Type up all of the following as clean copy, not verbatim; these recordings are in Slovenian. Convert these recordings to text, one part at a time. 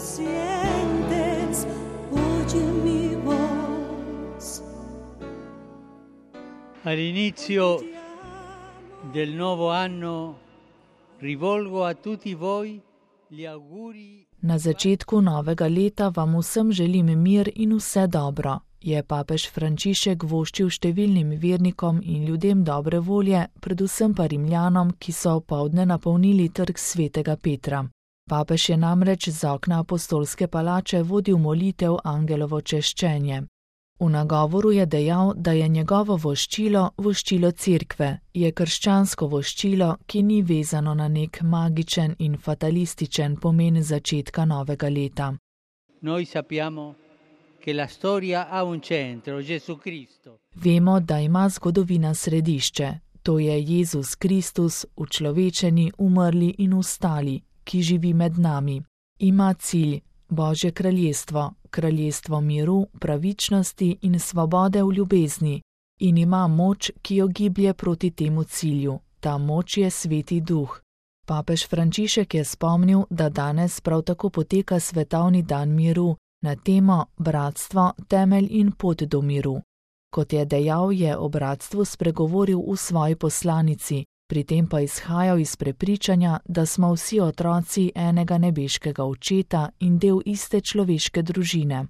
sientes, oye mi voz. All'inizio del nuovo anno rivolgo a tutti voi gli auguri. Na začetku novega leta vam vsem želim mir in vse dobro, je papež Frančišek voščil številnim vernikom in ljudem dobre volje, predvsem pa Rimljanom, ki so opoldne napolnili trg svetega Petra. Papež je namreč z okna apostolske palače vodil molitev Angelovo češčenje. V nagovoru je dejal, da je njegovo voščilo voščilo cerkve, je krščansko voščilo, ki ni vezano na nek magičen in fatalističen pomen začetka novega leta. Noi sappiamo che la storia ha un centro, Gesù Cristo. Vemo, da ima zgodovina središče, to je Jezus Kristus, učlovečeni, umrli in vstali, ki živi med nami. Ima cilj, Božje kraljestvo, kraljestvo miru, pravičnosti in svobode v ljubezni, in ima moč, ki jo giblje proti temu cilju. Ta moč je Sveti Duh. Papež Frančišek je spomnil, da danes prav tako poteka svetovni dan miru na temo Bratstvo, temelj in pot do miru. Kot je dejal, je o bratstvu spregovoril v svoji poslanici, pri tem pa izhajal iz prepričanja, da smo vsi otroci enega nebeškega očeta in del iste človeške družine.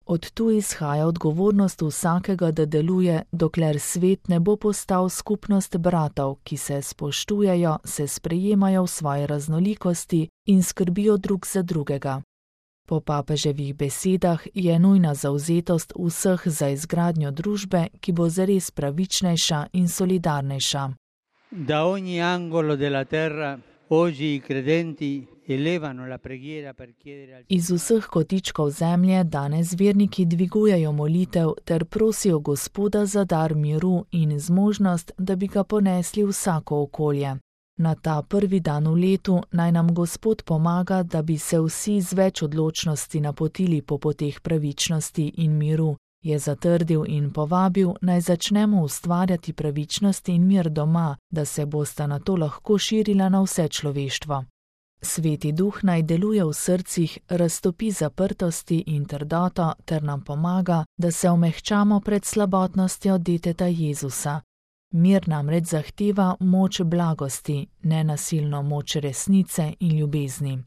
Od tu izhaja odgovornost vsakega, da deluje, dokler svet ne bo postal skupnost bratov, ki se spoštujejo, se sprejemajo v svoji raznolikosti in skrbijo drug za drugega. Po papeževih besedah je nujna zavzetost vseh za izgradnjo družbe, ki bo zares pravičnejša in solidarnejša. Da ogni angolo della terra oggi i credenti elevano la preghiera per chiedere al Iz vseh kotičkov zemlje danes verniki dvigujejo molitev ter prosijo Gospoda za dar miru in zmožnost, da bi ga ponesli vsako okolje. Na ta prvi dan v letu naj nam Gospod pomaga, da bi se vsi z več odločnosti napotili po poteh pravičnosti in miru, je zatrdil in povabil, naj začnemo ustvarjati pravičnost in mir doma, da se bosta na to lahko širila na vse človeštvo. Sveti Duh naj deluje v srcih, raztopi zaprtosti in trdoto ter nam pomaga, da se omehčamo pred slabotnostjo deteta Jezusa. Mir namreč zahteva moč blagosti, nenasilno moč resnice in ljubezni.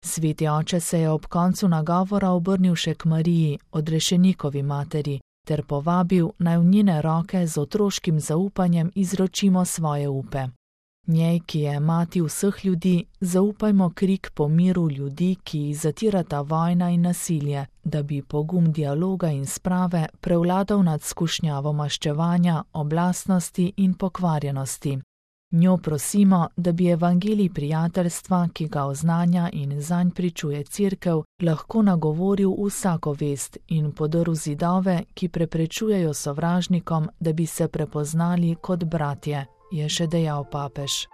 Sveti oče se je ob koncu nagovora obrnil še k Mariji, odrešenikovi materi, ter povabil, naj v njene roke z otroškim zaupanjem izročimo svoje upe. Njej, ki je mati vseh ljudi, zaupajmo krik po miru ljudi, ki jih zatirata vojna in nasilje, da bi pogum dialoga in sprave prevladal nad skušnjavo maščevanja, oblastnosti in pokvarjenosti. Njo prosimo, da bi evangelij prijateljstva, ki ga oznanja in zanj pričuje cerkev, lahko nagovoril vsako vest in podrl zidove, ki preprečujejo sovražnikom, da bi se prepoznali kot bratje, je še dejal papež.